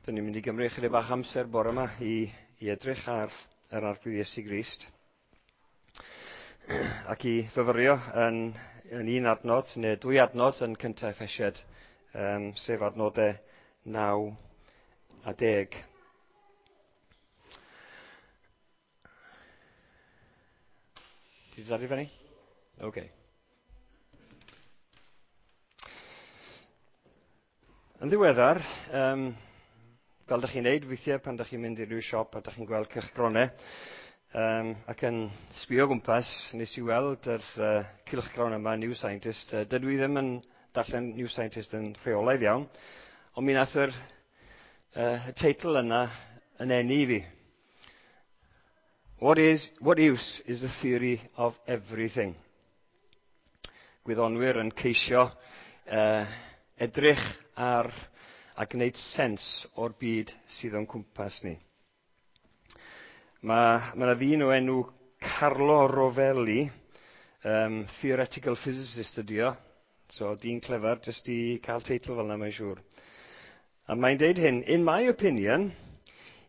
Dyn ni'n mynd i gymryd chydig bach amser bore yma i edrych ar yr Arglwydd Iesu Grist ac i fyfyrio yn un adnod neu dwy adnod yn cyntaf Effesiaid, sef adnodau 9 a 10. Ti wedi dod i fyny? Oce. Okay. Yn ddiweddar, fel dych chi'n neud weithiau pan dych chi'n mynd i ryw siop a dych chi'n gweld cylchgronau, ac yn sbio o gwmpas, nes i weld yr cylchgrawn yma, New Scientist. Dydw i ddim yn darllen New Scientist yn rheolaidd iawn, ond mi nath y teitl yna yn eni i fi. What use is the theory of everything? Gwyddonwyr yn ceisio edrych ar a gwneud sens o'r byd sydd o'n cwmpas ni. Mae yna ddyn o enw Carlo Rovelli, theoretical physicist ydi o, so dyn clefer jyst i cael teitl fel yna mae'n siŵr. A mae'n deud hyn, in my opinion,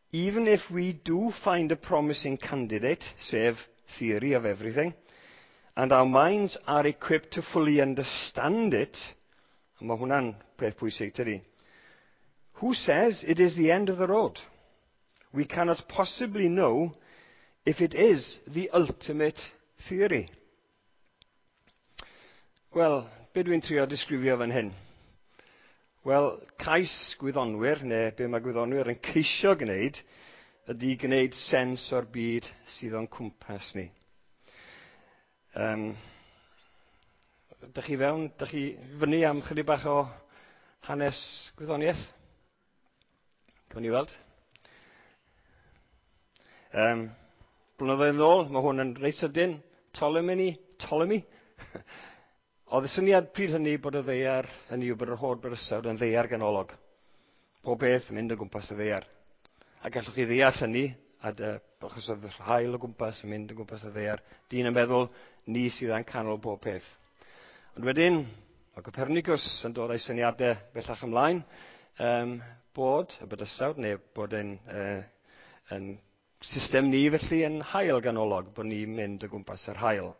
even if we do find a promising candidate, sef theory of everything, and our minds are equipped to fully understand it, a mae hwnna'n peth pwysig, tydi? Who says it is the end of the road? We cannot possibly know if it is the ultimate theory. Wel, be dwi'n trio disgrifio fan hyn? Wel, cais gwyddonwyr, neu be mae gwyddonwyr yn ceisio gwneud, ydy gwneud sens o'r byd sydd o'n cwmpas ni. Dych chi fewn, dych chi fyny am chydig bach o hanes gwyddoniaeth? Cawn ni weld. Blynyddoedd yn ôl, mae hwn yn reit sydyn, Ptolemy. Oedd y syniad pryd hynny bod y ddaear, hynny yw bod yr holl bydysawd yn ddaear ganolog. Pob beth yn mynd o gwmpas y ddaear. A gallwch chi ddeall hynny, achos oedd yr haul o gwmpas yn mynd o gwmpas y ddaear. Dyn yn meddwl, ni sydd yn canol bob peth. Ond wedyn, mae Copernicus yn dod â'i syniadau bellach ymlaen, bod y bydysawd, neu bod yn system ni felly yn haul ganolog, bod ni'n mynd o gwmpas yr haul.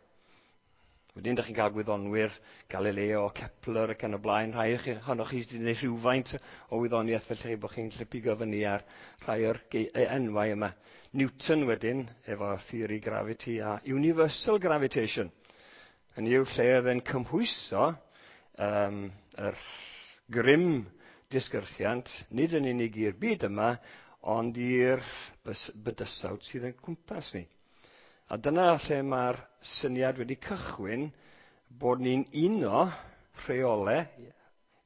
Wedyn, dych chi'n cael gwyddonwyr, Galileo, Kepler ac yn y blaen, rhai ohonoch chi sydd wedi gwneud rhywfaint o wyddoniaeth felly bod chi'n gallu pigo fyny ar rhai o'r enwau yma. Newton wedyn, efo theory gravity a universal gravitation. Hynny yw lle oedd e'n cymhwyso yr grym disgyrchiant, nid yn unig i'r byd yma, ond i'r bydysawd sydd yn cwmpas ni. A dyna lle mae'r syniad wedi cychwyn bod ni'n uno rheolau,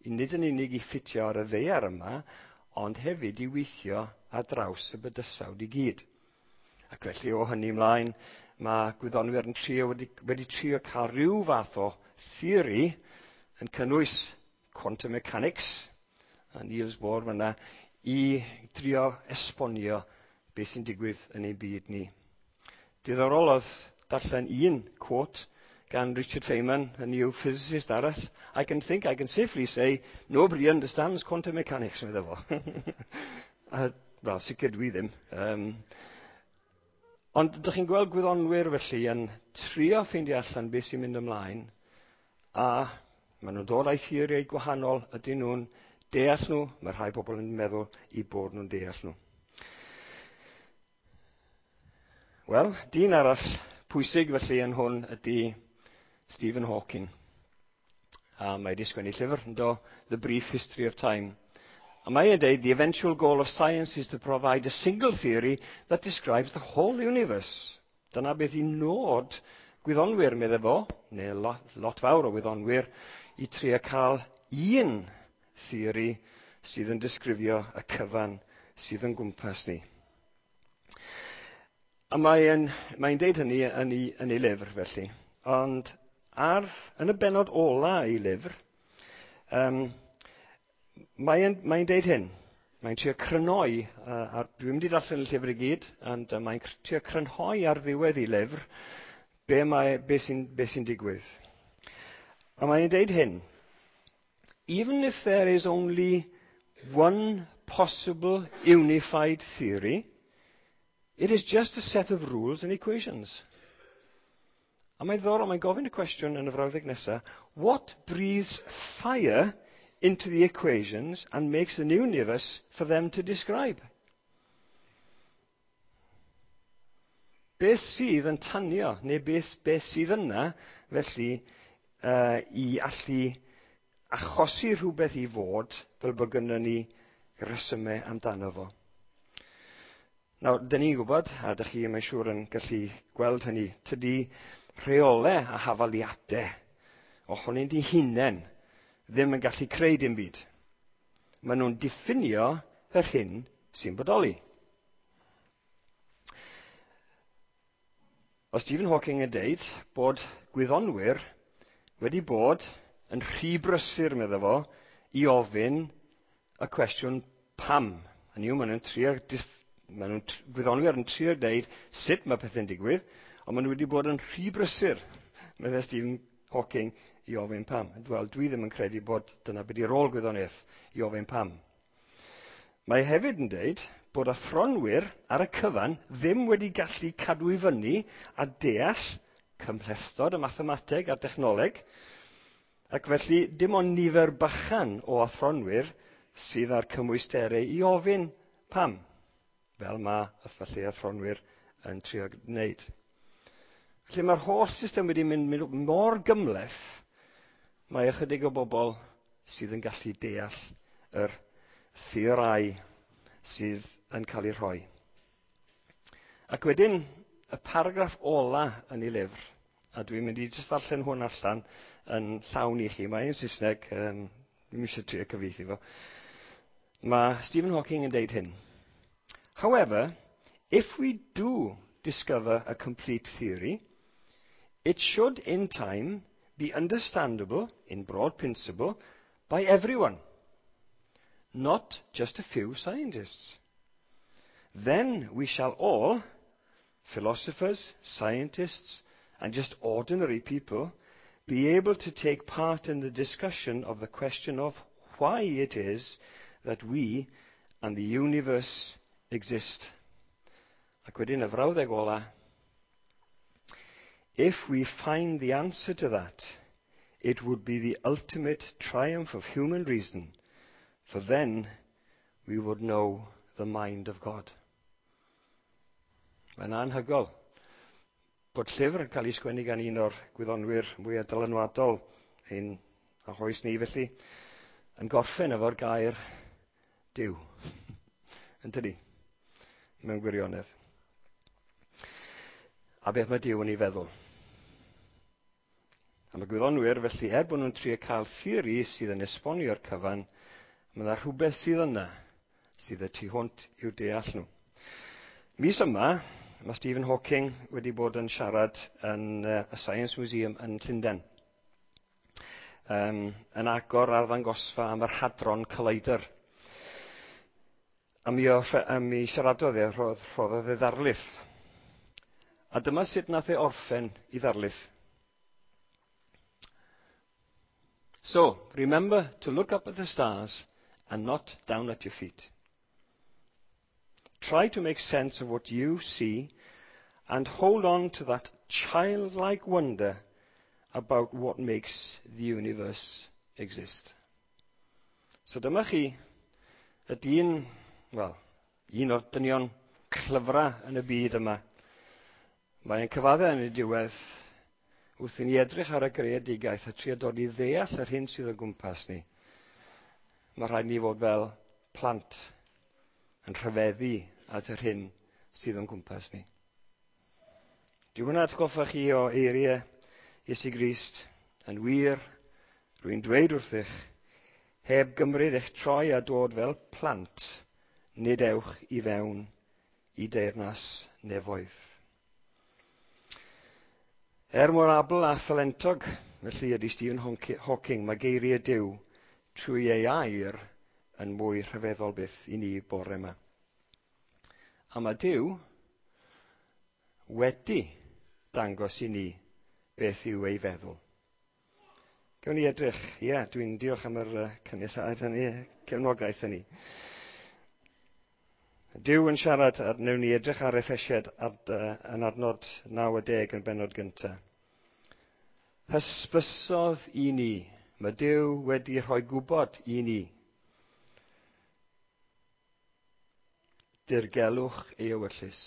nid yn unig i ffitio ar y ddaear yma, ond hefyd i weithio ar draws y bydysawd i gyd. Ac felly o hynny ymlaen, mae gwyddonwyr yn trio, wedi trio cael rhyw fath o theori yn cynnwys quantum mechanics, a Niels Bohr fyna, i drio esbonio beth sy'n digwydd yn ein byd ni. Diddorol oedd darllen un quote gan Richard Feynman, a new physicist arall. I can safely say, nobody understands quantum mechanics, medde fo. Wel, sicr dwi ddim. Ond ydych chi'n gweld gwyddonwyr felly yn trio ffeindio allan beth sy'n mynd ymlaen, a maen nhw'n dod â'i theoriau gwahanol, ydyn nhw'n deall nhw, mae rhai bobl yn meddwl i bod nhw'n deall nhw. Wel, dyn arall pwysig felly yn hwn ydy Stephen Hawking. A mae wedi sgwennu llyfr, yndo, The Brief History of Time. A mae e'n deud, the eventual goal of science is to provide a single theory that describes the whole universe. Dyna beth i nod gwyddonwyr, medde fo, neu lot fawr o wyddonwyr, i trio cael un theori sydd yn disgrifio y cyfan sydd yn gwmpas ni. A mae'n deud hynny yn ei lyfr felly. Ond yn y bennod ola ei lyfr, mae'n deud hyn. Mae'n trio crynhoi, dwi'n mynd i darllen y llyfr i gyd, ond mae'n trio crynhoi ar ddiwedd ei lyfr be sy'n digwydd. A mae'n deud hyn. Even if there is only one possible unified theory. It is just a set of rules and equations. A mae'n ddiddorol, mae'n gofyn y cwestiwn yn y frawddeg nesaf: "What breathes fire into the equations and makes an universe for them to describe?" Beth sydd yn tanio, neu beth sydd yna, felly, i allu achosi rhywbeth i fod, fel bod gynnon ni resymau amdano fo? Nawr, dyn ni'n gwybod, a dych chi, mae'n siŵr, yn gallu gweld hynny, tydi rheolau a hafaliadau ohonynt eu hunain ddim yn gallu creu dim byd. Maen nhw'n diffinio yr hyn sy'n bodoli. O Stephen Hawking yn deud bod gwyddonwyr wedi bod yn rhy brysur, medda fo, i ofyn y cwestiwn pam. Hynny yw, maen nhw'n gwyddonwyr yn trio deud sut mae pethau'n digwydd, ond maen nhw wedi bod yn rhy brysur, meddai Stephen Hawking, i ofyn pam. Wel, dwi ddim yn credu bod dyna beth i rôl gwyddoniaeth, i ofyn pam. Mae hefyd yn deud bod athronwyr ar y cyfan ddim wedi gallu cadw i fyny a deall cymhlethdod y mathemateg a'r dechnoleg, ac felly dim ond nifer bychan o athronwyr sydd â'r cymwysterau i ofyn pam, fel mae felly athronwyr yn trio gwneud. Felly mae'r holl system wedi mynd mor gymhleth, mae ychydig o bobl sydd yn gallu deall yr theorau sydd yn cael ei rhoi. Ac wedyn, y paragraff ola yn ei lyfr, a dwi'n mynd i jyst ddarllen hwn allan yn llawn i chi, mae'n Saesneg, dwi'n eisiau trio cyfieithu fo. Mae Stephen Hawking yn deud hyn: "However, if we do discover a complete theory, it should in time be understandable, in broad principle, by everyone, not just a few scientists. Then we shall all, philosophers, scientists, and just ordinary people, be able to take part in the discussion of the question of why it is that we and the universe exist." Ac wedyn y frawddeg ola: "If we find the answer to that, it would be the ultimate triumph of human reason, for then we would know the mind of God." Mae'n anhygoel bod llyfr yn cael ei sgwennu gan un o'r gwyddonwyr mwyaf dylanwadol ein oes ni felly, yn gorffen efo'r gair Duw. Yn tydi? Mewn gwirionedd. A beth mae Duw yn ei feddwl? A mae gwyddonwyr, felly, er bod nhw'n trio cael theori sydd yn esbonio'r cyfan, mae yna rhywbeth sydd yna sydd y tu hwnt i'w deall nhw. Mis yma, mae Stephen Hawking wedi bod yn siarad yn y Science Museum yn Llundain, yn agor arddangosfa am yr Hadron Collider. A mi siaradodd e, rhoddodd e ddarlith. A dyma sut nath e orffen i ddarlith: "So, remember to look up at the stars and not down at your feet. Try to make sense of what you see and hold on to that childlike wonder about what makes the universe exist." So dyma chi y dyn, wel, un o'r dynion clyfra yn y byd yma. Mae'n cyfadde yn y diwedd, wrth i ni edrych ar y greadigaeth a trio dod i ddeall yr hyn sydd o gwmpas ni, mae rhaid ni fod fel plant yn rhyfeddu at yr hyn sydd o'n gwmpas ni. Di hwnna atgoffa chi o eiriau Iesu Grist? "Yn wir, rwy'n dweud wrthych, heb gymryd eich troi a dod fel plant, nid ewch i fewn i deyrnas nefoedd." Er mor abl a thalentog, felly, ydy Stephen Hawking, mae geiriau Duw trwy ei air yn mwy rhyfeddol byth i ni bore yma. A mae Duw wedi dangos i ni beth yw ei feddwl. Gawn ni edrych, ie, yeah, dwi'n diolch am yr cynulliad hynny, cefnogaeth hynny. Duw yn siarad, a wnawn ni edrych ar Effesiad yn adnod 9 a 10 yn bennod gyntaf. Hysbysodd i ni. Mae Duw wedi rhoi gwybod i ni. Dirgelwch ei ewyllys.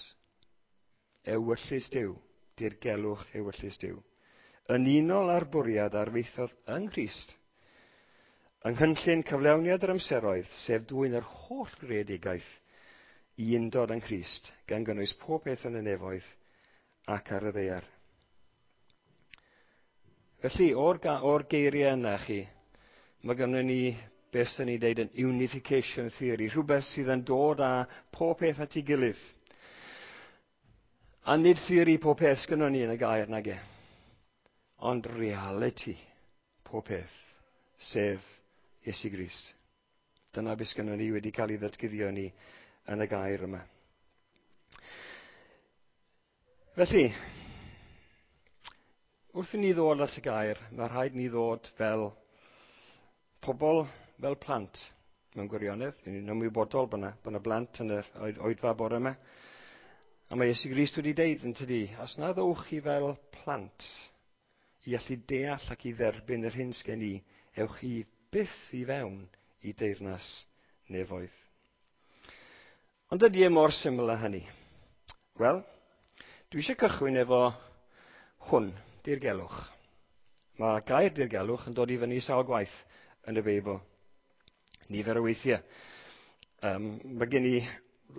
Ewyllys Duw. Dirgelwch ewyllys Duw. Yn unol â'r bwriad arfaethodd yng Nghrist, yng nghynllun cyflawniad yr amseroedd, sef dwyn yr holl greadigaeth i undod yng Nghrist, gan gynnwys pob peth yn y nefoedd ac ar y ddaear. Felly, o'r geiriau yna chi, mae gynnon ni beth sy'n ni'n deud yn unification theory, rhywbeth sydd yn dod â pob peth at ei gilydd. A nid theori pob peth sgynnon ni yn y gair nage, ond reality pob peth, sef Iesu Grist. Dyna beth sgynnon ni wedi cael ei ddatguddio ni yn y gair yma. Felly, wrth i ni ddod at y gair, mae rhaid ni ddod fel pobl, fel plant, mewn gwirionedd. Ni'n ymwybodol bod yna blant yn yr oedfa bore yma. A mae Iesu Grist wedi deud yn tydi, os na ddowch chi fel plant i allu deall ac i dderbyn yr hyn sgen i, ewch chi byth i fewn i deyrnas nefoedd. Ond ydy e mor syml â hynny? Wel, dwi eisiau cychwyn efo hwn, dirgelwch. Mae gair dirgelwch yn dod i fyny sawl gwaith yn y Beibl. Nifer o weithiau. Mae gen i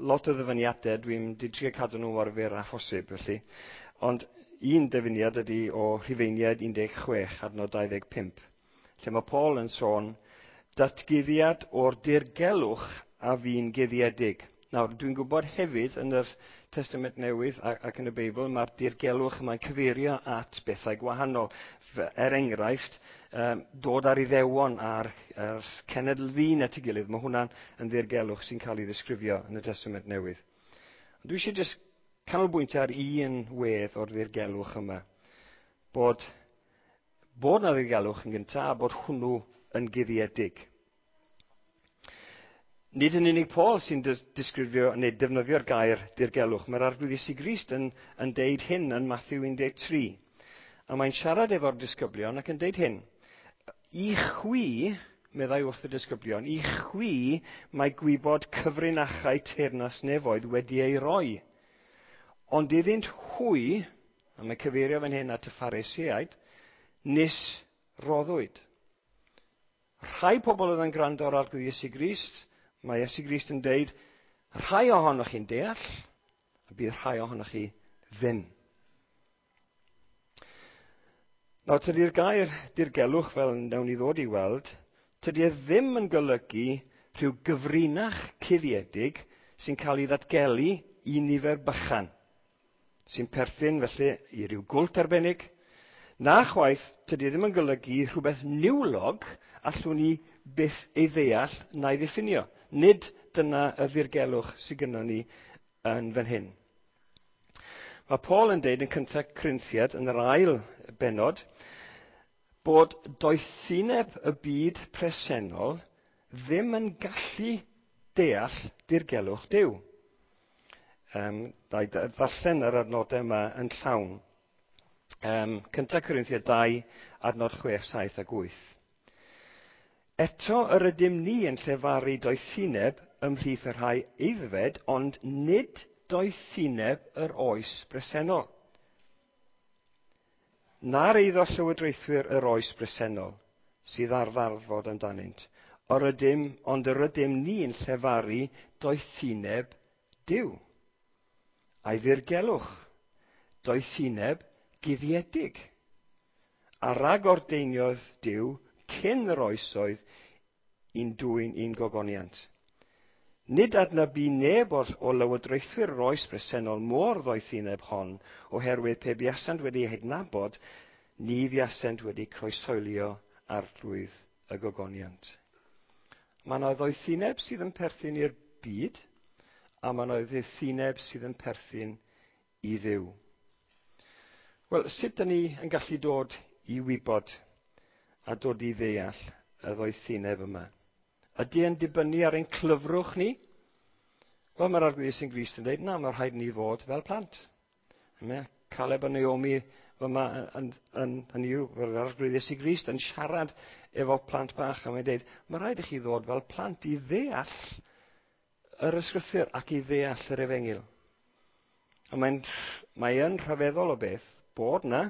lot o ddyfyniadau, dwi'n trio cadw nhw mor fyr â phosib, felly. Ond un dyfyniad ydy o Rhufeiniaid 16, adnod 25, lle mae Paul yn sôn datguddiad o'r dirgelwch a fu'n guddiedig. Nawr, dwi'n gwybod hefyd yn yr Testament Newydd ac yn y Beibl, mae'r dirgelwch yma'n cyfeirio at bethau gwahanol. Er enghraifft, dod ar Iddewon a'r cenedl ddyn at ei gilydd, mae hwnna'n yn ddirgelwch sy'n cael ei ddisgrifio yn y Testament Newydd. Ond dwi eisiau jyst canolbwyntio ar un wedd o'r ddirgelwch yma. Bod na ddirgelwch yn gyntaf a bod hwnnw yn guddiedig. Nid yn unig Paul sy'n disgrifio neu defnyddio'r gair dirgelwch. Mae'r Arglwydd Iesu Grist yn deud hyn yn Mathew 13. A mae'n siarad efo'r disgyblion ac yn deud hyn. I chwi, meddai wrth y disgyblion, i chwi mae gwybod cyfrinachau teyrnas nefoedd wedi ei roi. Ond iddynt hwy, a mae cyfeirio fan hyn at y Phariseaid, nis roddwyd. Rhai pobl oedd yn gwrando ar Arglwydd Iesu Grist, mae Iesu Grist yn deud, rhai ohonoch chi'n deall, a bydd rhai ohonoch chi ddim. Nawr, tydi'r gair dirgelwch, fel wnawn ni ddod i weld, tydi e ddim yn golygu rhyw gyfrinach cuddiedig sy'n cael ei ddatgelu i nifer bychan, sy'n perthyn felly i ryw gwlt arbennig. Na chwaith, tydi e ddim yn golygu rhywbeth niwlog allwn ni byth ei ddeall na'i ddiffinio. Nid dyna y ddirgelwch sydd gynnon ni yn fan hyn. Mae Paul yn deud yn cyntaf Corinthiad, yn yr ail bennod, bod doethineb y byd presennol ddim yn gallu deall dirgelwch Duw. Ddarllen yr adnodau yma yn llawn. Cyntaf Corinthiad 2, adnod 6, 7 ac 8. Eto yr ydym ni yn llefaru doethineb ymhlith y rhai aeddfed, ond nid doethineb yr oes bresennol. Na'r eiddo llywodraethwyr yr oes bresennol sydd ar ddarfod amdanynt, ond yr ydym ni'n llefaru doethineb Duw. A'i ddirgelwch, doethineb guddiedig. A ragordeiniodd Duw cyn yr oesoedd i'n dwyn i'n gogoniant. Nid adnabu neb o lywodraethwyr yr oes bresennol mor ddoethineb hon, oherwydd pe buasant wedi ei hadnabod, ni fuasent wedi croeshoelio arglwydd y gogoniant. Mae yna ddoethineb sydd yn perthyn i'r byd, a mae yna ddoethineb sydd yn perthyn i Dduw. Wel, sut dyn ni yn gallu dod i wybod a dod i ddeall y ddoethineb yma? Ydy e'n dibynnu ar ein clyfrwch ni? Wel, mae'r Arglwydd Iesu'n Grist yn dweud, na, mae rhaid ni fod fel plant. Mae Caleb a Naomi fyma yn yw, fel yr Arglwydd Iesu Grist yn siarad efo plant bach, a mae'n dweud, mae rhaid i chi ddod fel plant i ddeall yr ysgrythur ac i ddeall yr efengyl. A mae yn rhyfeddol o beth bod na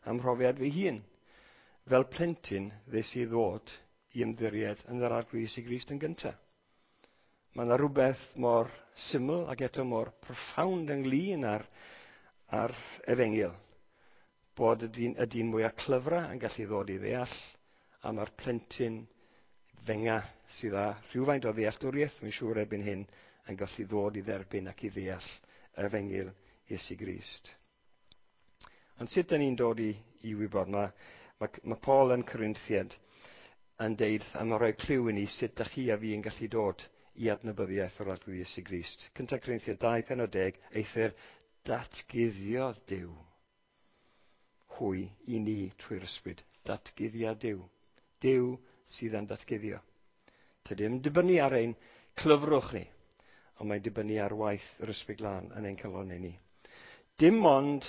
am mhrofiad fy hun. Fel plentyn, ddes i ddod i ymddiried yn yr Arglwydd Iesu Grist yn gyntaf. Mae yna rhywbeth mor syml ac eto mor profound ynglyn â'r efengyl, bod y dyn mwyaf clyfra yn gallu ddod i ddeall, a mae'r plentyn fenga sydd â rhywfaint o ddealltwriaeth, mae'n siŵr erbyn hyn, yn gallu ddod i dderbyn ac i ddeall efengyl Iesu Grist. Ond sut dyn ni'n dod i wybod? Mae Paul yn Corinthiad yn deud, a mae'n rhoi clyw i ni sut dych chi a fi yn gallu dod i adnabyddiaeth o'r Arglwydd Iesu Grist. 1 Corinthiad 2, pennod 10, eithr datguddiodd Duw hwy i ni trwy'r ysbryd. Datguddiad Duw. Duw sydd yn datguddio. Tydi ddim dibynnu ar ein clyfrwch ni, ond mae'n dibynnu ar waith yr Ysbryd Glân yn ein calonnau ni. Dim ond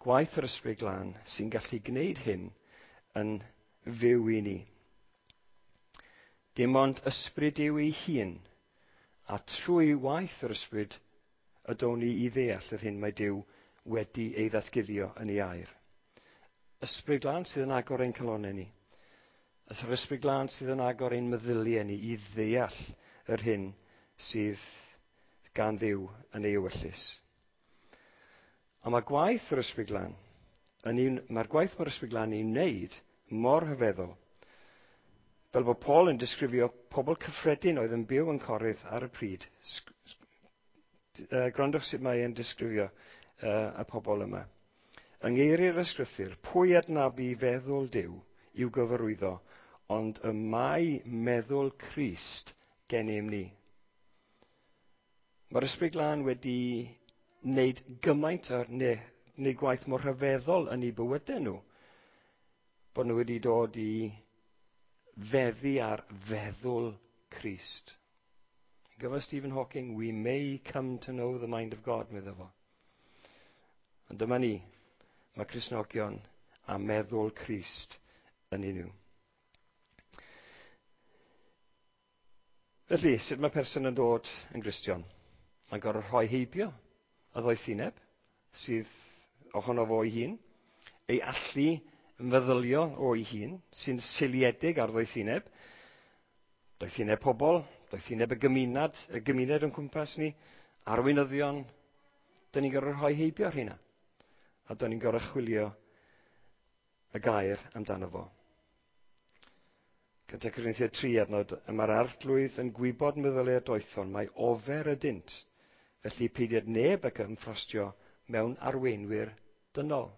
gwaith yr Ysbryd Glân sy'n gallu gwneud hyn yn fyw i ni. Dim ond ysbryd yw ei hun, a trwy waith yr ysbryd y down ni i ddeall yr hyn mae Duw wedi ei ddatguddio yn ei air. Ysbryd Glân sydd yn agor ein calonnau ni. Yr Ysbryd Glân sydd yn agor ein meddyliau ni i ddeall yr hyn sydd gan Dduw yn ei ewyllys. A mae gwaith yr Ysbryd Glân, mae'r gwaith mae'r Ysbryd Glân ei wneud mor rhyfeddol. Fel bod Paul yn disgrifio pobl cyffredin oedd yn byw yn Corinth ar y pryd. Gwrandwch sut mae e'n disgrifio y pobl yma. Yng ngeiriau'r ysgrythur, pwy adnabu feddwl Duw i'w gyfarwyddo, ond y mae meddwl Crist gennym ni. Mae'r Ysbryd Glân wedi wneud gymaint ar, neu, wneud gwaith mor rhyfeddol yn eu bywydau nhw, bod nhw wedi dod i feddu ar feddwl Crist. Gyda Stephen Hawking, we may come to know the mind of God, medda fo. Ond dyma ni, mae Cristnogion a meddwl Crist yn un nhw. Felly, sut mae person yn dod yn Gristion? Mae'n gorfod rhoi heibio y ddoethineb sydd ohono fo ei hun, ei allu meddyliol o'i hun, sy'n seiliedig ar ddoethineb, doethineb pobl, doethineb y gymuned yn cwmpas ni, arweinyddion. Dyn ni'n gorfod rhoi heibio ar hynna. A dyn ni'n gorfod chwilio y gair amdano fo. 1 Corinthiaid 3 adnod, y mae'r Arglwydd yn gwybod meddyliau'r doethon, mae ofer ydynt, felly peidied neb ac ymffrostio mewn arweinwyr dynol.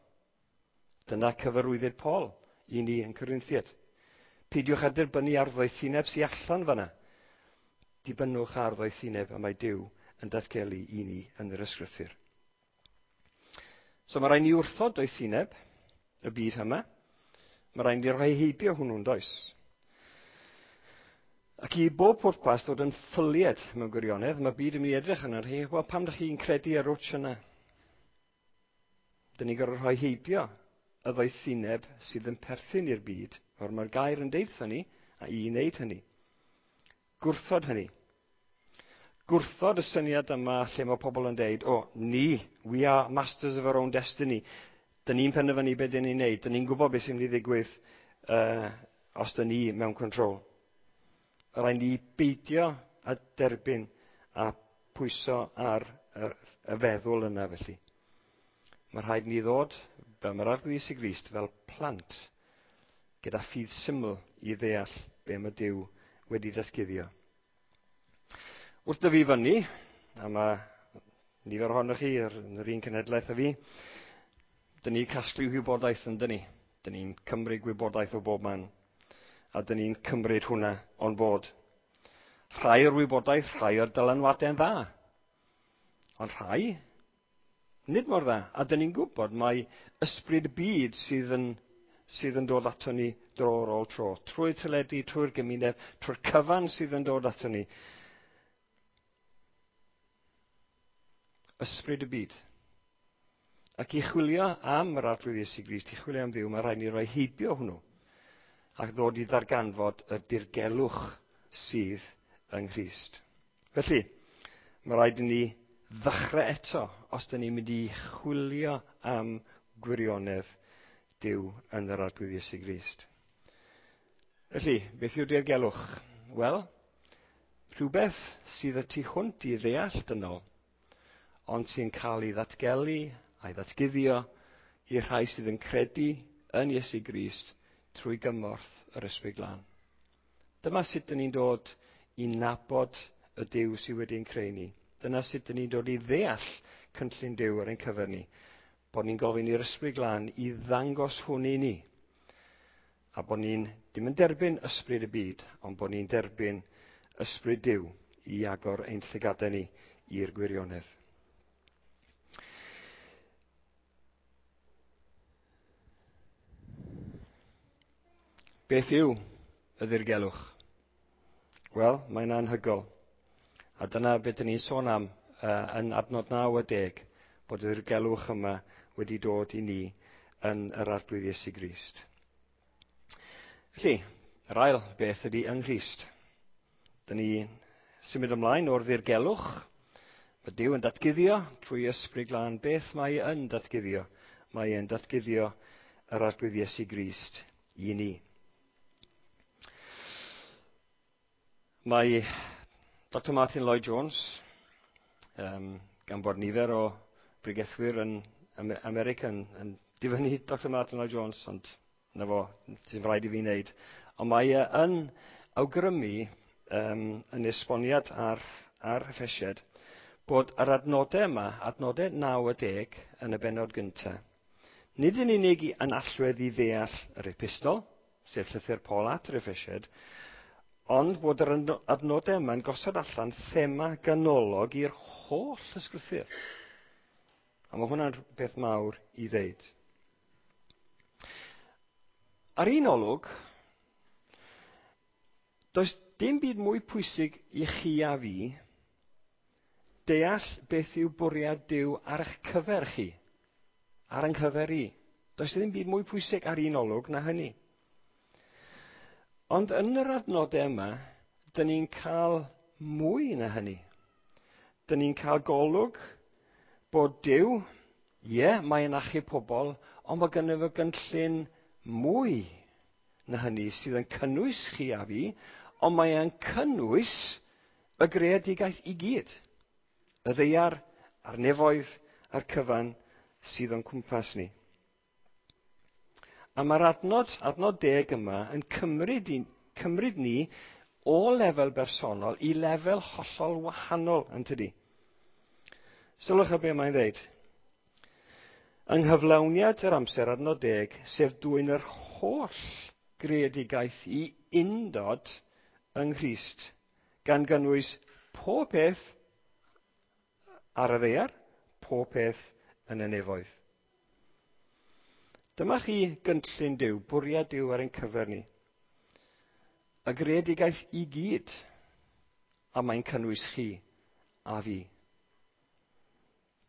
Dyna cyfarwyddyd Paul i ni yn Corinthiaid. Peidiwch â derbynnu ar ddoethineb sy'n allan fanna. Dibynnwch ar ddoethineb y mae Duw yn datgelu i ni yn yr ysgrythur. So mae rhaid ni wrthod doethineb y byd yma. Mae rhaid ni rhoi heibio hwnnw'n does. Ac i bob pwrpas dod yn ffylied mewn gwirionedd, mae byd yn mynd i edrych arno chi, wel pam ydych chi'n credu ar rwtsh yna? Dyn ni'n gorfod rhoi heibio y ddoethineb sydd yn perthyn i'r byd, o'r mae'r gair yn deutha ni, a i wneud hynny. Gwrthod hynny. Gwrthod y syniad yma lle mae pobl yn deud, o, ni, we are masters of our own destiny. Dyn ni'n penderfynu beth dyn ni'n neud, dyn ni'n gwybod beth sy'n mynd i ddigwydd os dyn ni mewn control. Rhaid ni beidio a derbyn a pwyso ar y feddwl yna felly. Mae rhaid ni ddod, fel mae'r Arglwydd Iesu Grist, fel plant, gyda ffydd syml i ddeall be mae Duw wedi datguddio. Wrth dyfu fyny, a mae nifer ohonoch chi yn yr un cenhedlaeth â fi, dyn ni'n casglu gwybodaeth yn dyn ni. Dyn ni'n cymryd gwybodaeth o bob man, a dyn ni'n cymryd hwnna on board. Rhai o'r wybodaeth, rhai o'r dylanwadau'n dda, ond rhai nid mor dda. A dyn ni'n gwybod mai ysbryd y byd sydd yn dod ato ni dro ar ôl tro. Trwy'r teledu, trwy'r gymuned, trwy'r cyfan sydd yn dod ato ni. Ysbryd y byd. Ac i chwilio am yr Arglwydd Iesu Grist, i chwilio am Dduw, mae rhaid ni roi heibio hwnnw ac ddod i ddarganfod y dirgelwch sydd yng Nghrist. Felly, mae rhaid i ni ddechrau eto os dyn ni'n mynd i chwilio am gwirionedd Duw yn yr Arglwydd Iesu Grist. Felly, beth yw'r dirgelwch? Wel, rhywbeth sydd y tu hwnt i ddeall dynol, ond sy'n cael ei ddatgelu a'i ddatguddio i'r rhai sydd yn credu yn Iesu Grist trwy gymorth yr Ysbryd Glân. Dyma sut dyn ni'n dod i nabod y Duw sydd wedi'n creu ni. Dyna sut dyn ni'n dod i ddeall cynllun Duw ar ein cyfer ni. Bod ni'n gofyn i'r Ysbryd Glân i ddangos hwn i ni. A bod ni'n dim yn derbyn ysbryd y byd, ond bod ni'n derbyn ysbryd Duw i agor ein llygadau ni i'r gwirionedd. Beth yw y ddirgelwch? Wel, mae'n anhygoel. A dyna beth dyn ni'n sôn am yn adnod 9 a 10, bod y ddirgelwch yma wedi dod i ni yn yr Arglwydd Iesu Grist. Felly, yr ail beth ydy yng Nghrist. Dyn ni symud ymlaen o'r ddirgelwch. Mae Duw yn datguddio trwy Ysbryd Glân beth mae yn datguddio. Mae e'n datguddio yr Arglwydd Iesu Grist i ni. Mae Dr Martin Lloyd-Jones, gan bod nifer o bregethwyr yn America yn difynnu Dr Martin Lloyd-Jones, ond na fo, sy'n rhaid i fi wneud. Ond mae e yn awgrymu yn esboniad ar Effesiaid bod yr adnodau yma, adnodau 9 a 10 yn y bennod gyntaf, nid yn unig yn allwedd i ddeall yr epistol, sef llythyr Paul at yr Effesiaid, ond bod yr adnodau yma'n gosod allan thema ganolog i'r holl ysgrythur. A mae hwnna'n beth mawr i ddeud. Ar un olwg, does dim byd mwy pwysig i chi a fi deall beth yw bwriad Duw ar eich cyfer chi, ar ein cyfer i. Does ddim byd mwy pwysig ar un olwg na hynny. Ond yn yr adnodau yma, dyn ni'n cael mwy na hynny. Dyn ni'n cael golwg bod Duw, ie, mae'n achub pobl, ond mae gynno fo gynllun mwy na hynny sydd yn cynnwys chi a fi, ond mae e'n cynnwys y greadigaeth i gyd. Y ddaear, a'r nefoedd, a'r cyfan sydd o'n cwmpas ni. A mae'r adnod 10 yma yn cymryd ni o lefel bersonol i lefel hollol wahanol, yn tydi? Sylwch ar be mae'n dweud. Yng nghyflawniad yr amser adnod 10, sef dwyn yr holl greadigaeth i undod yng Nghrist, gan gynnwys pob peth ar y ddaear, pob peth yn y nefoedd. Dyma chi gynllun Duw, bwriad Duw ar ein cyfer ni. Y greadigaeth i gyd, a mae'n cynnwys chi a fi.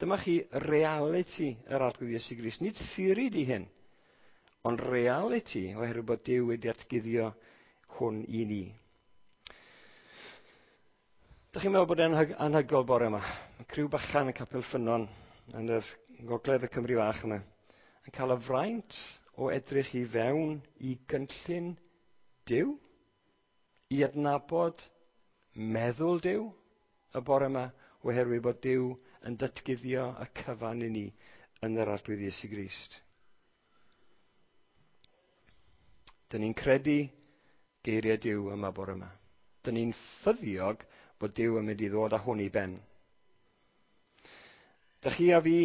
Dyma chi realiti yr Arglwydd Iesu Grist. Nid theori di hyn, ond realiti oherwydd bod Duw wedi atguddio hwn i ni. Dych chi'n meddwl bod e'n anhygoel bore yma? Mae criw bychan yn Capel Ffynnon yn yr gogledd y Cymru fach yma yn cael y fraint o edrych i fewn i gynllun Duw, i adnabod meddwl Duw y bore yma, oherwydd bod Duw yn datguddio y cyfan i ni yn yr Arglwydd Iesu Grist. Dyn ni'n credu geiriau Duw yma bore yma. Dyn ni'n ffyddiog bod Duw yn mynd i ddod â hwn i ben. Dych chi a fi,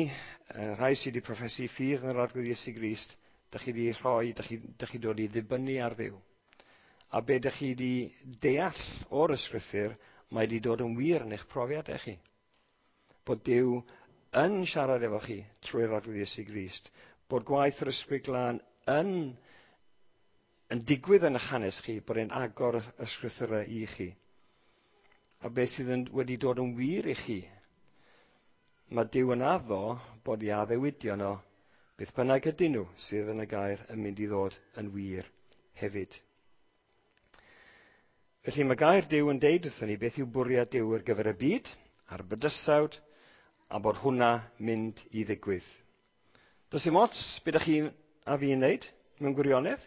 rhai sydd wedi proffesu ffydd yn yr Arglwydd Iesu Grist, dych chi wedi rhoi, dych chi dod i ddibynnu ar Dduw. A be dych chi wedi deall o'r ysgrythur, mae wedi dod yn wir yn eich profiad chi. Bod Duw yn siarad efo chi trwy'r Arglwydd Iesu Grist. Bod gwaith yr Ysbryd Glân yn digwydd yn eich hanes chi, bod e'n agor y ysgrythurau i chi. A beth sydd wedi dod yn wir i chi. Mae Duw yn addo bod i addewidion o, beth bynnag ydyn nhw sydd yn y gair, yn mynd i ddod yn wir hefyd. Felly mae gair Duw yn deud wrthon ni beth yw bwriad Duw ar gyfer y byd a'r bydysawd, a bod hwnna mynd i ddigwydd. Does dim ots beth ydych chi a fi'n wneud mewn gwirionedd.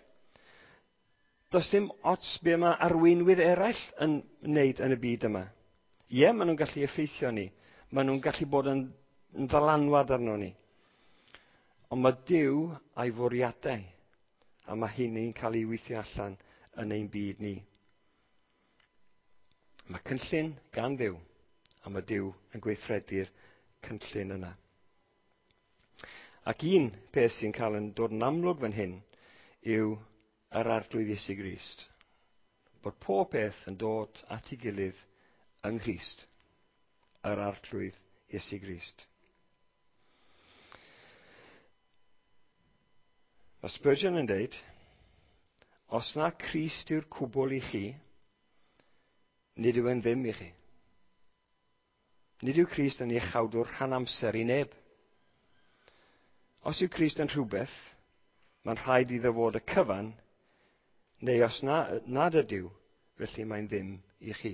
Does dim ots be mae arweinwyr eraill yn wneud yn y byd yma. Ie, maen nhw'n gallu effeithio ni. Maen nhw'n gallu bod yn ddylanwad arno ni. Ond mae Duw a'i fwriadau, a mae hynny'n cael ei weithio allan yn ein byd ni. Mae cynllun gan Dduw, a mae Duw yn gweithredu'r cynllun yna. Ac un peth sy'n cael yn dod yn amlwg fan hyn yw yr Arglwydd Iesu Grist. Bod pob peth yn dod at ei gilydd yng Nghrist. Yr Arglwydd Iesu Grist. Mae Spurgeon yn deud, os na Crist yw'r cwbl i chi, nid yw e'n ddim i chi. Nid yw Crist yn iachawdwr rhan amser i neb. Os yw Crist yn rhywbeth, mae'n rhaid iddo fod y cyfan, neu os nad ydyw, felly mae'n ddim i chi.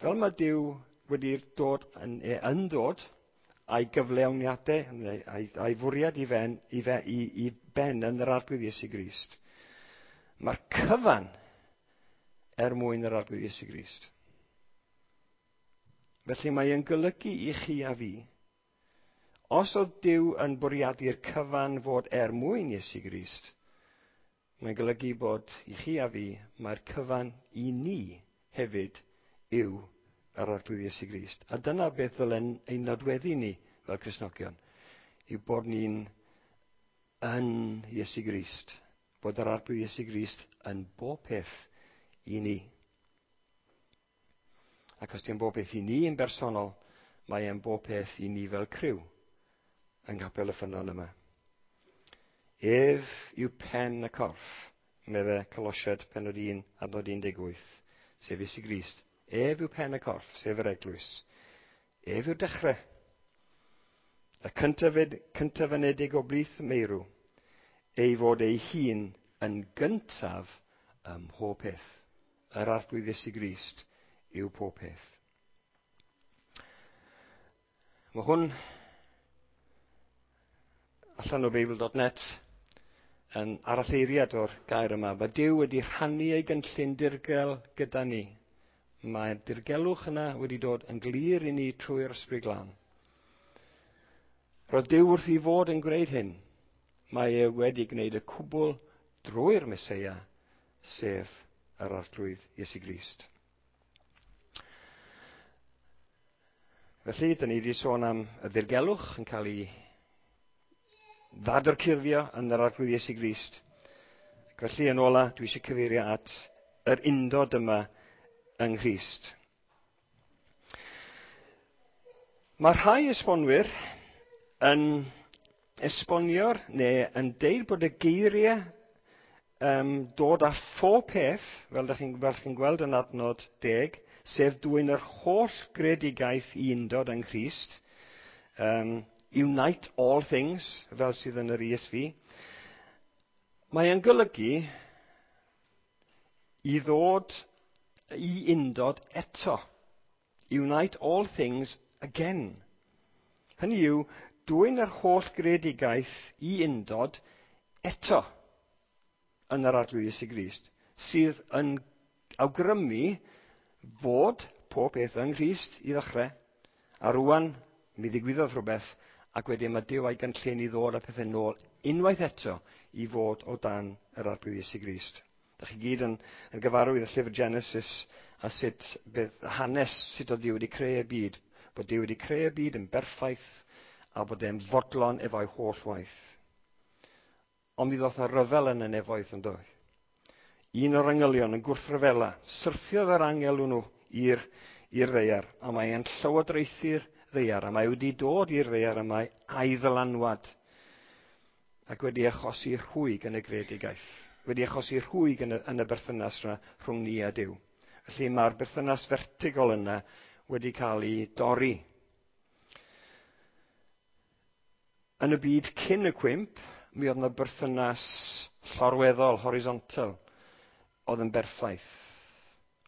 Fel mae Duw wedi dod yn dod a'i gyflawniadau, neu a'i fwriad i ben yn yr Arglwydd Iesu Grist, mae'r cyfan er mwyn yr Arglwydd Iesu Grist. Felly mae yn golygu i chi a fi, os oedd Duw yn bwriadu'r cyfan fod er mwyn Iesu Grist, mae'n golygu bod i chi a fi, mae'r cyfan i ni hefyd yw yr Arglwydd Iesu Grist. A dyna beth ddylen ein nodweddu ni fel Cristnogion, yw bod ni'n yn Iesu Grist, bod yr Arglwydd Iesu Grist yn bob peth i ni. Ac os di'n bob peth i ni yn bersonol, mae e'n bob peth i ni fel criw yng Nghapel y Ffynnon yma. Ef yw pen y corff, medde Colosiaid pennod 1 adnod 18, sef Iesu Grist. Ef yw pen y corff, sef yr eglwys. Ef yw'r dechrau. Y cyntafenedig o blith meirw, ei fod ei hun yn gyntaf ym mhob peth. Yr Arglwydd Iesu Grist yw pob peth. Mae hwn allan o Beibl.net yn aralleiriad o'r gair yma. Mae Duw wedi rhannu ei gynllun dirgel gyda ni. Mae'r dirgelwch yna wedi dod yn glir i ni trwy'r Ysbryd Glân. Roedd Duw wrth ei fod yn gwneud hyn. Mae e wedi gwneud y cwbl drwy'r Meseia, sef yr Arglwydd Iesu Grist. Felly, dyn ni wedi sôn am y ddirgelwch yn cael ei ddadorchuddio yn yr Arglwydd Iesu Grist. Ac felly, yn ola, dwi eisiau cyfeirio at yr undod yma yng Nghrist. Mae rhai esbonwyr yn esbonio'r neu yn deud bod y geiriau dod â phob peth, fel ydych chi'n gweld yn adnod 10, sef dwyn yr holl greadigaeth i undod yng Nghrist, unite all things, fel sydd yn yr ESV, mae yn golygu i ddod i undod eto. Unite all things again. Hynny yw, dwyn yr holl greadigaeth i undod eto yn yr Arglwydd Iesu Grist, sydd yn awgrymu fod pob peth yng Nghrist i ddechrau, a rwan mi ddigwyddodd rhywbeth, ac wedyn mae Duw a'i gynllun i ddod â pethau nôl unwaith eto i fod o dan yr Arglwydd Iesu Grist. Dach chi gyd yn gyfarwydd â llyfr Genesis a sut bydd hanes sut oedd Duw wedi creu y byd, bod Duw wedi creu y byd yn berffaith a bod e'n fodlon efo'i holl waith. Ond mi ddoth y ryfel yn y nefoedd yn doedd. Un o'r angylion yn gwrthryfela, syrthiodd yr angel hwnnw i'r ddaear, a mae e'n llywodraethu'r ddaear, a mae wedi dod i'r ddaear yma a'i ddylanwad, ac wedi achosi rhwyg yn y greadigaeth, wedi achosi rhwyg yn y berthynas yna rhwng ni a Duw. Felly mae'r berthynas fertigol yna wedi cael ei dorri. Yn y byd cyn y cwymp, mi oedd yna berthynas llorweddol, horizontal, oedd yn berffaith.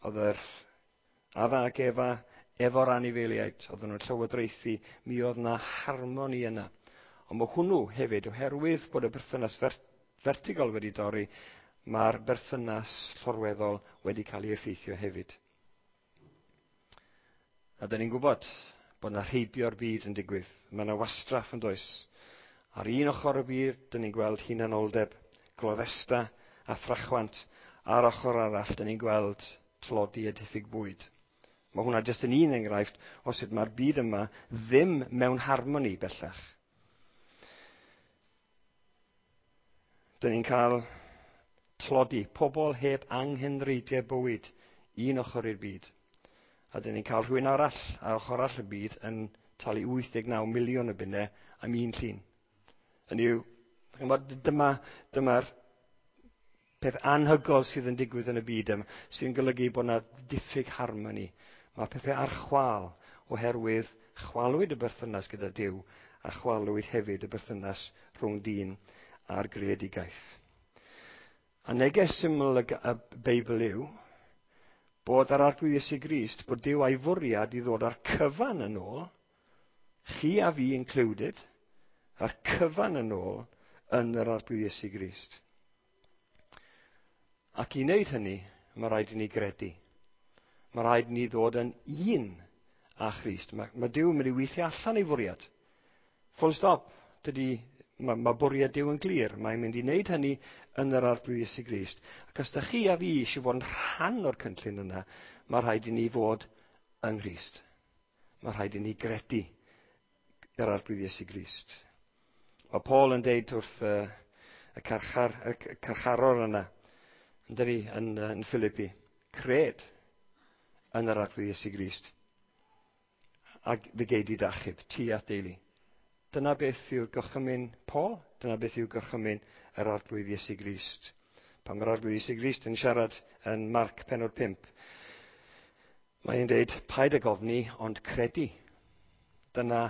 Oedd yr Adda ac Efa efo'r anifeiliaid, oedden nhw'n llywodraethu, mi oedd yna harmoni yna. Ond mae hwnnw hefyd, oherwydd bod y berthynas vertigol wedi dorri, mae'r berthynas llorweddol wedi cael ei effeithio hefyd. A dyn ni'n gwybod bod yna rheibio'r byd yn digwydd. Mae yna wastraff yn does. Ar un ochr y byd, dyn ni'n gweld hunanoldeb, gloddesta a thrachwant. Ar ochr arall, dyn ni'n gweld tlodi a diffyg bwyd. Mae hwnna jyst yn un enghraifft o sut mae'r byd yma ddim mewn harmoni bellach. Dyn ni'n cael tlodi, pobl heb anghenreidiau bywyd, un ochr i'r byd. A dyn ni'n cael rhywun arall ar ochr arall y byd yn talu 89 miliwn o bunnau am un llun. Hynny yw, dyma'r peth anhygoel sydd yn digwydd yn y byd yma, sy'n golygu bod yna diffyg harmoni. Mae pethau ar chwâl oherwydd chwalwyd y berthynas gyda Duw a chwalwyd hefyd y berthynas rhwng dyn a'r greadigaeth. A neges syml y Beibl yw bod ar Arglwydd Iesu Grist, bod Duw a'i fwriad i ddod â'r cyfan yn ôl, chi a fi included, a'r cyfan yn ôl yn yr Arglwydd Iesu Grist. Ac i wneud hynny, mae rhaid i ni gredu. Mae rhaid i ni ddod yn un â Christ. Mae Duw yn mynd i weithio allan ei fwriad. Full stop. Mae bwriad Duw yn glir. Mae'n mynd i wneud hynny yn yr Arglwydd Iesu Grist. Ac os da chi a fi eisiau fod yn rhan o'r cynllun yna, mae rhaid i ni fod yng Nghrist. Mae rhaid i ni gredu yr Arglwydd Iesu Grist. Mae Paul yn deud wrth y carcharor yna, yndydi, yn Philippi, cred yn yr Arglwydd Iesu Grist, ac fe gei di d'achub, ti a'th deulu. Dyna beth yw'r gorchymyn Paul, dyna beth yw gorchymyn yr Arglwydd Iesu Grist. Pan mae'r Arglwydd Iesu Grist yn siarad yn Marc pennod 5, mae'n deud, paid ag ofni, ond credu. Dyna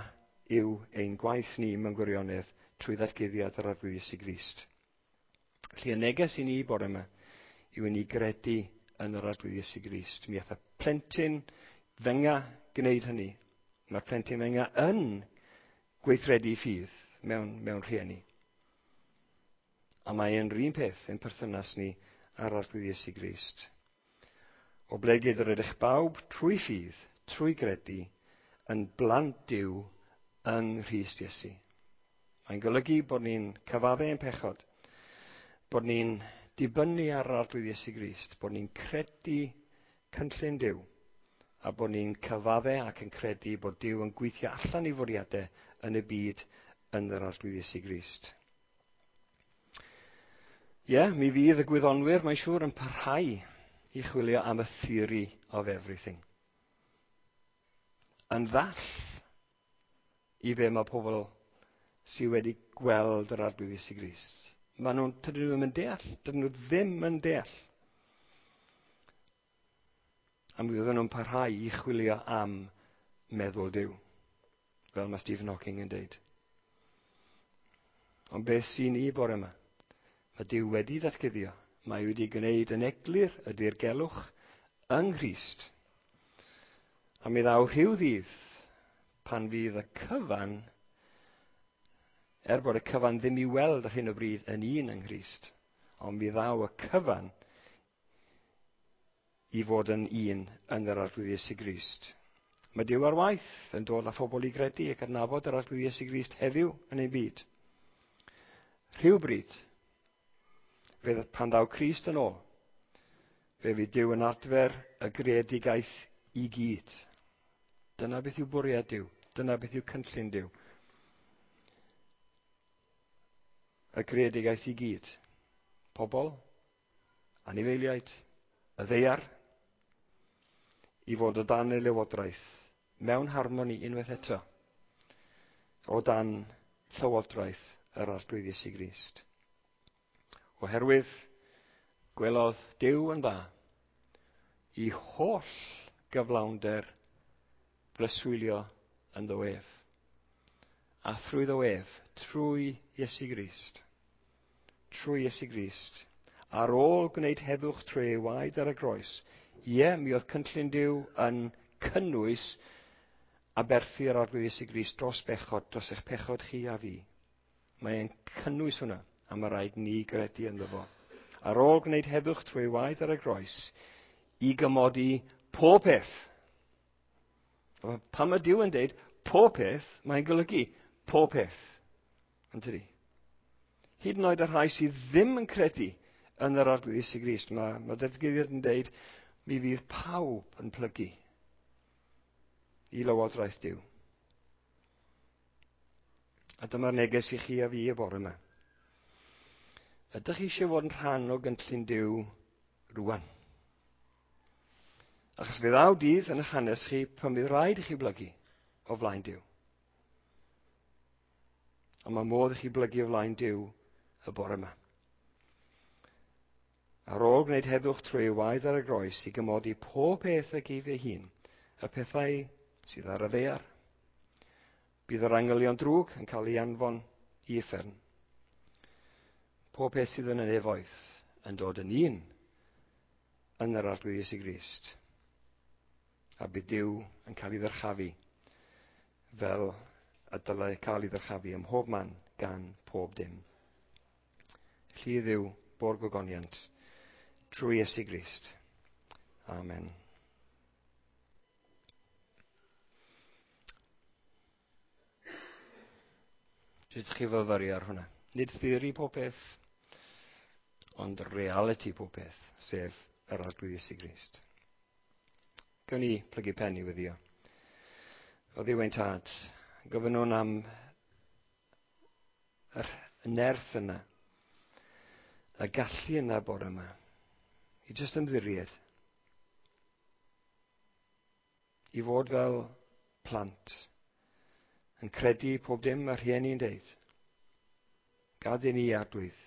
yw ein gwaith ni mewn gwirionedd trwy ddatguddiad yr Arglwydd Iesu Grist. Felly y neges i ni bore yma yw i ni gredu yn yr Arglwydd Iesu Grist. Mi ath y plentyn fenga gwneud hynny. Mae'r plentyn fenga yn gweithredu ffydd mewn rhieni. A mae e'n yr un peth yn perthynas ni â'r Arglwydd Iesu Grist. Oblegid yr ydych bawb trwy ffydd, trwy gredu, yn blant Duw yng Nghrist Iesu. Mae'n golygu bod ni'n cyfadde ein pechod, bod ni'n dibynnu ar yr Arglwydd Iesu Grist, bod ni'n credu cynllun Duw, a bod ni'n cyfadde ac yn credu bod Duw yn gweithio allan ei fwriadau yn y byd yn yr Arglwydd Iesu Grist. Ie, mi fydd y gwyddonwyr, mae'n siŵr, yn parhau i chwilio am y theory of everything. Yn ddall i be mae pobl sydd wedi gweld yr Arglwydd Iesu Grist. Dydyn nhw ddim yn deall. Dydyn nhw ddim yn deall. A mi fydden nhw'n parhau i chwilio am meddwl Duw, fel mae Stephen Hawking yn deud. Ond beth sy'n i bore yma? Mae Duw wedi datguddio. Mae wedi gwneud yn eglur y dirgelwch yng Nghrist. A mi ddaw rhyw ddydd pan fydd y cyfan, er bod y cyfan ddim i weld ar hyn o bryd yn un yng Nghrist, ond mi ddaw y cyfan i fod yn un yn yr Arglwydd Iesu Grist. Mae Duw ar waith yn dod â phobl i gredu ac adnabod yr Arglwydd Iesu Grist heddiw yn ein byd. Rhywbryd, pan ddaw Crist yn ôl, fe fydd Duw yn adfer y greadigaeth i gyd. Dyna beth yw bwriad Duw. Dyna beth yw cynllun Duw. Y greadigaeth i gyd. Pobl, anifeiliaid, y ddaear, i fod o dan ei lywodraeth, mewn harmoni unwaith eto, o dan llywodraeth yr Arglwydd Iesu Grist. Oherwydd gwelodd Duw yn dda i holl gyflawnder breswylio ynddo ef. A thrwyddo ef Trwy Iesu Grist. Trwy Iesu Grist. Ar ôl gwneud heddwch trwy ei waed ar y groes, ie, mi oedd cynllun Duw yn cynnwys aberthu yr Arglwydd Iesu Grist dros bechod, dros eich pechod chi a fi. Mae'n cynnwys hwnna, a mae rhaid ni gredu ynddo fo. Ar ôl gwneud heddwch trwy ei waed ar y groes, i gymodi pob peth. Pan mae Duw yn deud pob peth, mae'n golygu pob peth. Yn tydi? Hyd yn oed y rhai sydd ddim yn credu yn yr Arglwydd Iesu Grist, mae datguddiad yn deud, mi fydd pawb yn plygu i lywodraeth Duw. A dyma'r neges i chi a fi y bore yma. Ydych chi eisiau fod yn rhan o gynllun Duw rwan? Achos fe ddaw dydd yn eich hanes chi pan fydd rhaid i chi blygu o flaen Duw. Ond mae modd i chi blygu o flaen Duw y bore yma. Ar ôl gwneud heddwch trwy ei waed ar y groes i gymodi pob peth ag ef ei hun, y pethau sydd ar y ddaear. Bydd yr angylion drwg yn cael ei anfon i uffern. Pob peth sydd yn y nefoedd yn dod yn un yn yr Arglwydd Iesu Grist. A bydd Duw yn cael ei ddyrchafu fel y dylai cael ei ddyrchafu ym mhob man gan pob dim. Felly i Dduw bo'r gogoniant trwy Iesu Grist. Amen. Jyst chi fyfyrio ar hwnna. Nid theori pob peth, ond reality pob peth, sef yr Arglwydd Iesu Grist. Gawn ni plygu pen i weddio. O Dduw ein Tad, gofynnwn am yr nerth yna, y gallu yna bore yma, i jyst ymddiried, i fod fel plant, yn credu pob dim mae rhieni'n deud. Gad i ni, Arglwydd,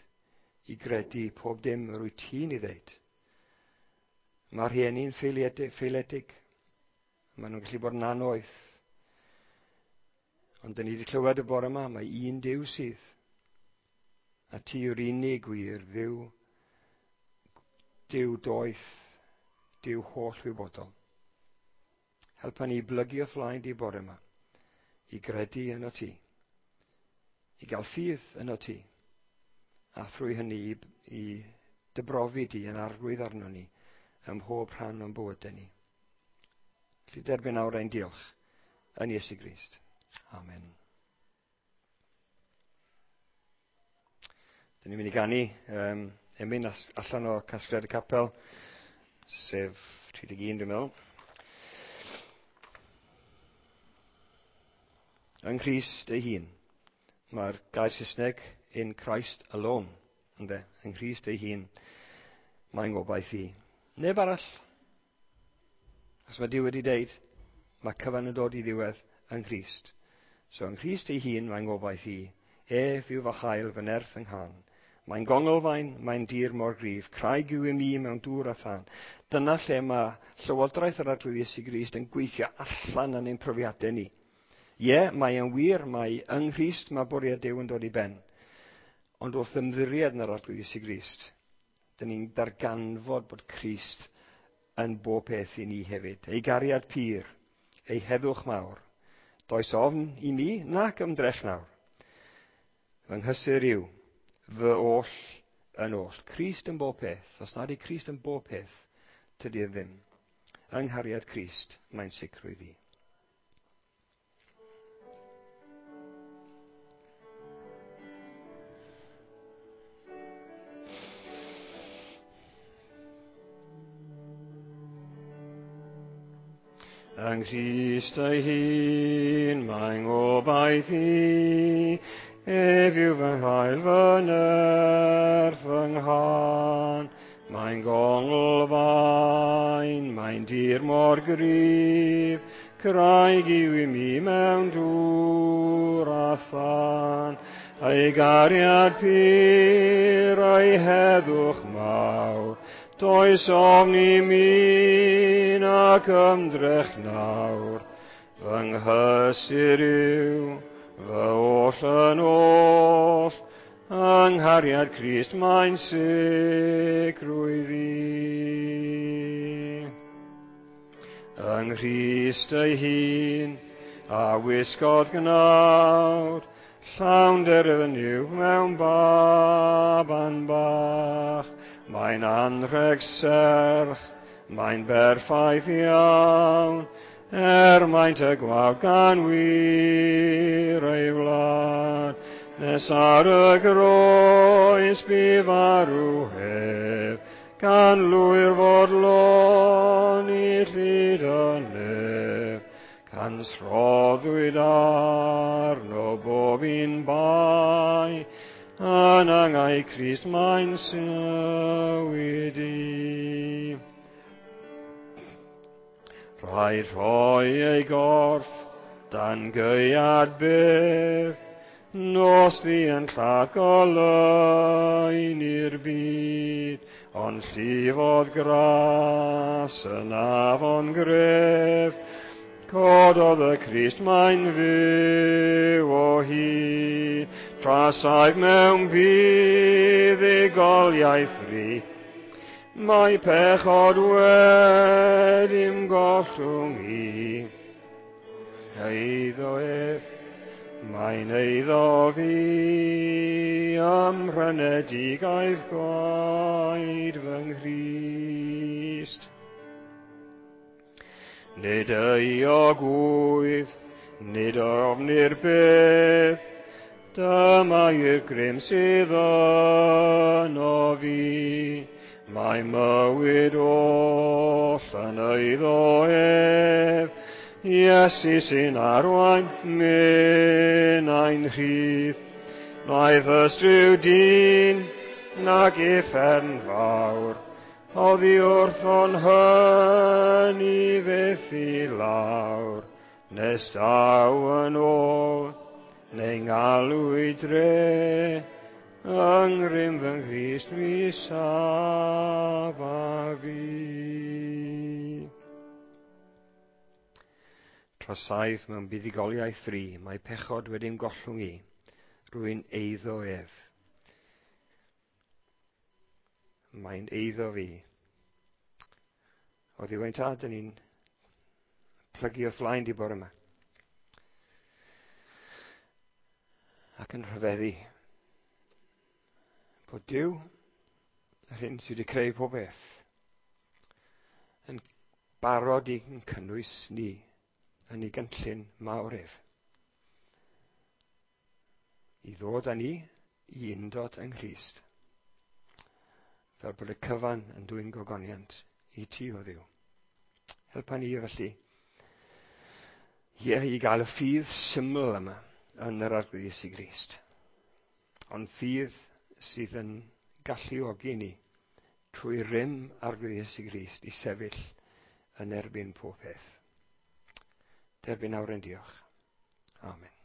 i gredu pob dim yr wyt ti'n ei ddeud. Mae rhieni'n ffeiliedig. Maen nhw'n gallu bod yn annoeth. Ond dyn ni wedi clywed y bore yma, mae un Duw sydd. A ti yw'r unig wir Dduw, Duw doeth, Duw holl wybodol. Helpa ni blygu o'th flaen di bore yma, i gredu yno ti, i gael ffydd yno ti, a thrwy hynny i dybrofi di yn arglwydd arno ni ym mhob rhan o'n bywydau ni. Felly derbyn nawr ein diolch yn Iesu Grist. Amen. Dyn ni'n mynd i ganu emyn allan o casgliad y capel, sef 31 dwi'n meddwl. Yng Nghrist ei hun. Mae'r gair Saesneg in Christ alone. Ynde? Yng Nghrist ei hun. Mae'n gobaith i. Neb arall. Os mae Duw wedi deud, mae cyfan yn dod i ddiwedd yng Nghrist. So yng Nghrist ei hun mae'n gobaith i. Ef yw fy hael fy nerth yng nghan. Mae'n gonglfaen, mae'n dir mor gryf, craig yw i mi mewn dŵr a thân. Dyna lle mae Llywodraeth yr Arglwydd Iesu Grist yn gweithio allan yn ein profiadau ni. Ie, mae yn wir, mae yng Nghrist mae bwriad Duw yn dod i ben. Ond wrth ymddiried yn yr Arglwydd Iesu Grist, dyn ni'n darganfod bod Crist yn bob peth i ni hefyd. Ei gariad pur, ei heddwch mawr. Does ofn i mi nac ymdrech nawr. Fy nghysur yw fy oll yn oll. Crist yn bob peth. Os nad yw Crist yn bob peth, tydi e ddim. Yng nghariad Crist, mae'n sicrwydd i. Yng Nghrist ei hun, mae'n gobaith i, ef yw fy nghael fy nerth fy nghân. Mae'n gonglfaen, mae'n dir mor gryf, craig yw i mi mewn dŵr a thân. Ei gariad pur, ei heddwch mawr, does ofn i mi nac ymdrech nawr. Fy nghysur yw Fy oll yn oll, yng nghariad Crist mae'n sicrwydd i. Yng Nghrist ei hun, a wisgodd gnawd, llawn derfyniw mewn baban bach. Mae'n anrheg serch, mae'n berffaith iawn, maint y gwawd gan wir ei wlad. Nes ar y groes bu farw ef, gan lwyr fodloni llid y nef. Cans rhoddwyd arno bob un bai, yn angau Crist mae'n sywyd i. Rhaid rhoi ei gorff dan gaead bydd, nos ddi yn lladd goleuni'r byd, ond llifodd gras yn afon gref, cododd y Crist mae'n fyw o hyd, trasaif mewn buddugoliaeth fri. Mae pechod wedi'm gollwng i. Eiddo ef, mae'n eiddo fi, ym mhrynedigaeth gwaed fy Nghrist. Nid euog wyf, nid ofni'r bydd, dyma yw'r grym sydd yno fi. Mae mywyd oll yn eiddo ef, Iesu sy'n arwain minnau'n rhydd. Mae ystryw dyn nag uffern fawr, oddi wrthon hynny fyth i lawr, nes daw yn ôl, neu ngalw i dre, yng ngrym fy Nghrist mi safa fi. Trasaif mewn buddugoliaeth fri, mae pechod wedi'm gollwng i, rwy'n eiddo ef. Mae'n eiddo fi. O Dduw ein Tad, dyn ni'n plygu wrth flaen di bore yma. Ac yn rhyfeddu bod Duw, yr hyn sydd wedi creu pob beth, yn barod i'n cynnwys ni yn ei gynllun mawr ef. I ddod â ni i undod yng Nghrist. Fel bod y cyfan yn dwyn gogoniant i ti o Dduw. Helpa ni felly ie, i gael y ffydd syml yma yn yr Arglwydd Iesu Grist. Ond ffydd sydd yn galluogi ni trwy rym Arglwydd Iesu Grist i sefyll yn erbyn pob peth. Derbyn awr yn diolch. Amen.